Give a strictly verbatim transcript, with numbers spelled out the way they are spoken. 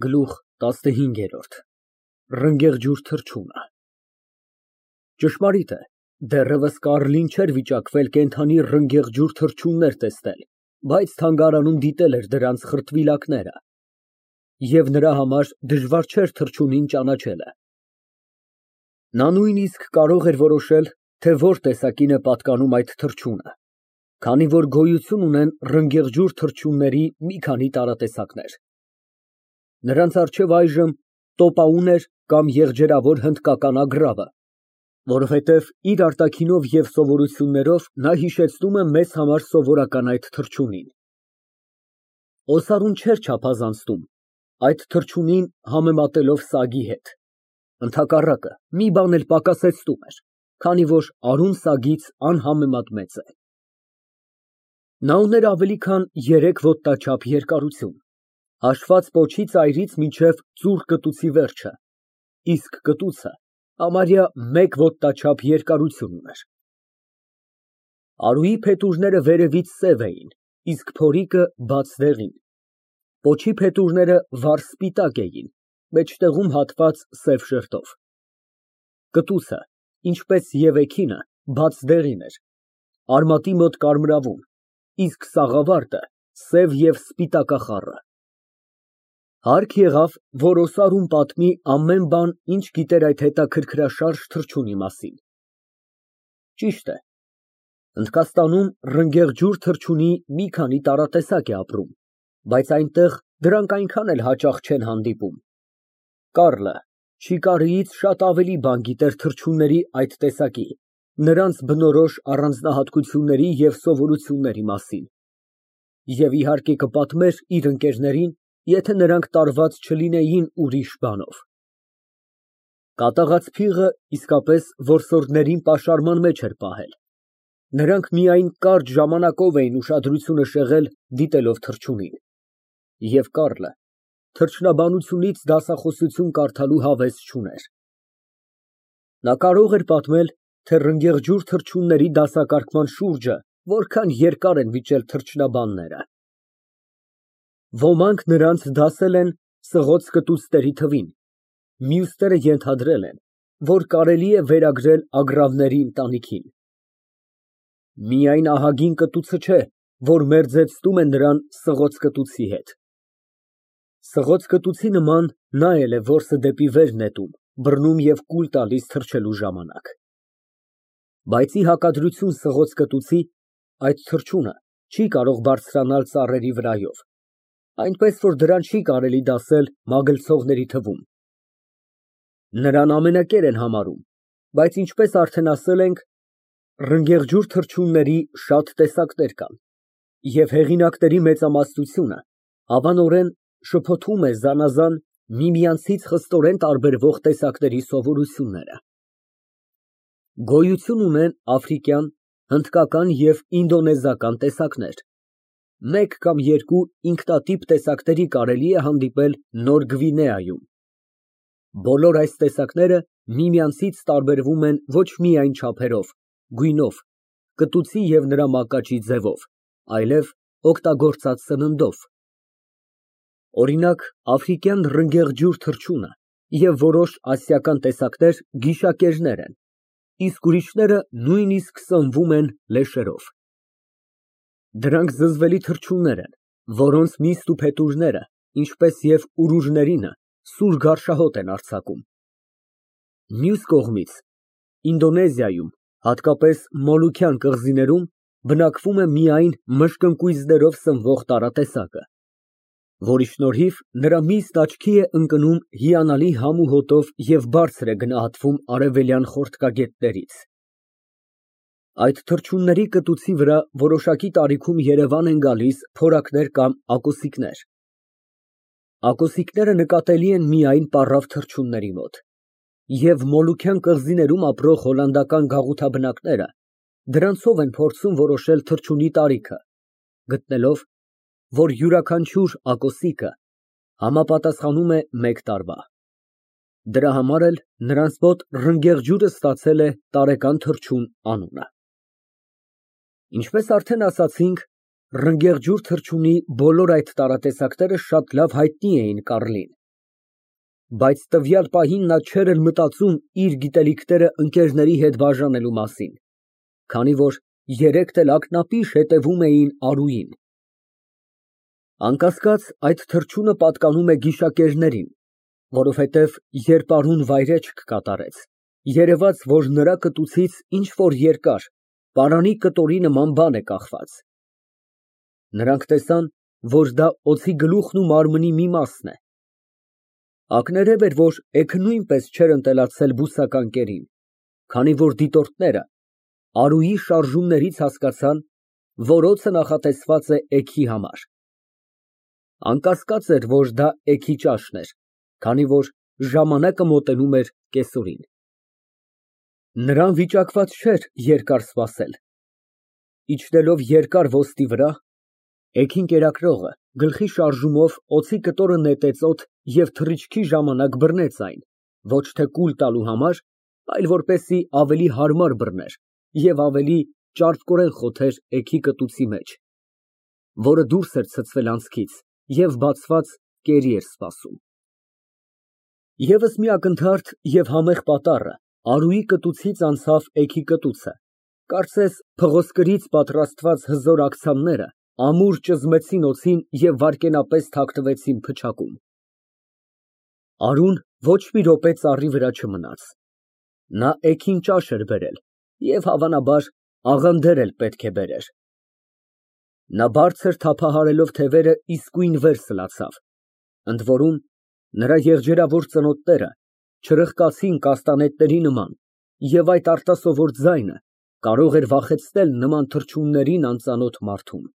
Գլուխ տասնհինգ։ Ռնգեղջյուր թռչունը Ճշմարիտ է, դեռևս Կարլին չէր վիճակվել կենդանի ռնգեղջյուր թռչուններ տեսնել, բայց թանգարանում դիտել էր դրանց խրտվիլակները և նրա համար դժվար չէր թռչունին ճանաչելը։ Նա նույնիսկ կարող էր որոշել, թե որ տեսակին է պատկանում այդ թռչունը, քանի որ գոյություն ունեն ռնգեղջյուր թռչունների մի քանի տարատեսակներ։ Նրանց առջև այժմ տոպաուն էր կամ եղջերավոր հնդկական ագռավը, որովհետև իր արտաքինով և սովորություններով նա հիշեցնում է մեզ համար սովորական այդ թռչունին։ Օսարուն չէր չափազանցնում այդ թռչունին համեմատելով սագի հետ, ընդհակառակը, մի բան էլ պակասեցնում էր, քանի որ արուն սագից անհամեմատ մեծ է։ Նա ուներ ավելի քան երեք ոտնաչափ երկարություն, հաշված պոչի ծայրից մինչև ծուռ կտուցի վերջը, իսկ կտուցը համարյա մեկ ոտնաչափ երկարություն ուներ։ Արուի փետուրները վերևից սև էին, իսկ փորիկը բաց դեղին, պոչի փետուրները վառ սպիտակ էին, մեջտեղում հատված սև շերտով։ Կտուցը, ինչպես և էգինը, բաց դեղին էր, արմատի մոտ կարմրավուն, իսկ սաղավարտը սև և սպիտակախառը։ Հարկ եղավ, որ Օսարուն պատմի ամեն բան, ինչ գիտեր այդ հետաքրքրաշարժ թռչունի մասին։ Ճիշտ է, Հնդկաստանում ռնգեղջյուր թռչունի մի քանի տարատեսակ է ապրում, բայց այնտեղ դրանք այնքան էլ հաճախ չեն հանդիպում։ Կարլը Չիկարիից շատ ավելի բան գիտեր թռչունների այդ տեսակի, նրանց բնորոշ առանձնահատկությունների և սովորությունների մասին, և իհարկե կպատմեր իր ընկերներին, եթե նրանք տարված չլինեին ուրիշ բանով։ Կատաղած փիղը իսկապես որսորդներին պաշարման մեջ էր պահել։ Նրանք միայն կարճ ժամանակով էին ուշադրությունը շեղել դիտելով թռչունին, և Կարլը թռչնաբանությունից դասախոսություն կարդալու հավես չուներ։ Նա կարող էր պատմել, թե ռնգեղջյուր թռչունների դասակարգման շուրջը որքան երկար են վիճել թռչնաբանները։ Ոմանք նրանց դասել են սղոց կտուցների թվին, մյուսները ենթադրել են, որ կարելի է վերագրել ագռավների ընտանիքին։ Միայն ահագին կտուցը չէ, որ մերձեցնում է նրան սղոց կտուցի հետ։ Սղոց կտուցի նման նա էլ է որսը դեպի վեր նետում, բռնում և կուլ տալիս թռչելու ժամանակ։ Բայց ի հակադրություն սղոց կտուցի, այդ թռչունը չի կարող բարձրանալ ծառերի վրայով, այնպես որ դրան չի կարելի դասել մագլցողների թվում։ Նրան ամենակեր են համարում, բայց ինչպես արդեն ասել ենք, ռնգեղջյուր թռչունների շատ տեսակներ կան, և հեղինակների մեծամասնությունը հավանորեն շփոթում է զանազան միմյանցից խստորեն տարբերվող տեսակների սովորությունները։ Գոյություն ունեն աֆրիկյան, հնդկական և ինդոնեզիական տեսակներ, մեկ կամ երկու ինքնատիպ տեսակների կարելի է հանդիպել Նոր Գվինեայում։ Բոլոր այս տեսակները միմյանցից տարբերվում են ոչ միայն չափերով, գույնով, կտուցի և նրա մակաչի ձևով, այլև օգտագործած սննդով։ Օրինակ, աֆրիկյան ռնգեղջյուր թռչունը և որոշ ասիական տեսակներ գիշակերներ են, իսկ ուրիշները նույնիսկ սնվում են լեշերով։ Դրանք զզվելի թռչուններ են, որոնց միստ ու փետուրները, ինչպես և ուրուրներինը, սուր գարշահոտ են արձակում։ Մյուս կողմից, Ինդոնեզիայում, հատկապես Մոլուքյան կղզիներում, բնակվում է միայն մշկընկույզներով սնվող տարատեսակը, որի շնորհիվ նրա միստ աչքի է ընկնում հիանալի համ ու հոտով և բարձր է գնահատվում արևելյան խորտկագետներից։ Այդ թռչունների կտուցի վրա որոշակի տարիքում երևան են գալիս փորակներ կամ ակոսիկներ։ Ակոսիկները նկատելի են միայն պառավ թռչունների մոտ, և Մոլուքյան կղզիներում ապրող հոլանդական գաղութաբնակները դրանցով են փորձում որոշել թռչունի տարիքը, գտնելով, որ յուրաքանչյուր ակոսիկը համապատասխանում է մեկ տարվա։ Դրա համար էլ նրանց մոտ ռնգեղջյուրը ստացել է տարեկան թռչուն անունը։ Ինչպես արդեն ասացինք, ռնգեղջյուր թռչունի բոլոր այդ տարատեսակները շատ լավ հայտնի էին Կարլին, Բայց տվյալ պահին նա չէր էլ մտածում իր գիտելիքները ընկերների հետ բաժանելու մասին, քանի որ երեկ էլ ակնապիշ հետևում էին Արուին։ Անկասկած, այդ թռչունը պատկանում է գիշակերներին, որովհետև երբ Արուն վայրէջք կատարեց, երևաց, որ նրա կտուցից ինչ֊որ երկար, պարանի կտորի նման բան է կախված։ Նրանք տեսան, որ դա օձի գլուխն ու մարմնի մի մասն է։ Ակներև էր, որ էգը նույնպես չէր ընտելացել բուսական կերին, քանի որ դիտորդները Արուի շարժումներից հասկացան, որ օձը նախատեսված է էգի համար։ Անկասկած էր, որ դա էգի ճաշն էր, քանի որ ժամանակը մոտենում էր կեսօրին։ Նրան վիճակված չէր երկար սպասել։ Իջնելով երկար ոստի վրա, էգին կերակրողը գլխի շարժումով օձի կտորը նետեց օդ և թռիչքի ժամանակ բռնեց այն, ոչ թե կուլ տալու համար, այլ որպեսզի ավելի հարմար բռներ և ավելի ճարպկորեն խոթեր էգի կտուցի մեջ, որը դուրս էր ցցվել անցքից և բացված կերի էր սպասում։ Եվս մի ակնթարթ և համեղ պատառը Արուի կտուցից անցավ էգի կտուցը, կարծես փղոսկրից պատրաստված հզոր աքցանները ամուր ճզմեցին օձին և վայրկենապես թաքնվեցին փչակում։ Արուն ոչ մի րոպե ծառի վրա չմնաց։ Նա էգին ճաշ էր բերել և, հավանաբար, աղանդեր էլ պետք է բերեր։ Նա բարձր թափահարելով թևերը իսկույն վեր սլացավ, ընդորում նրա եղջերավոր ծնոտները չրխկացին կաստանետների նման, և այդ արտասովոր ձայնը կարող էր վախեցնել նման թռչուններին անծանոթ մարդում։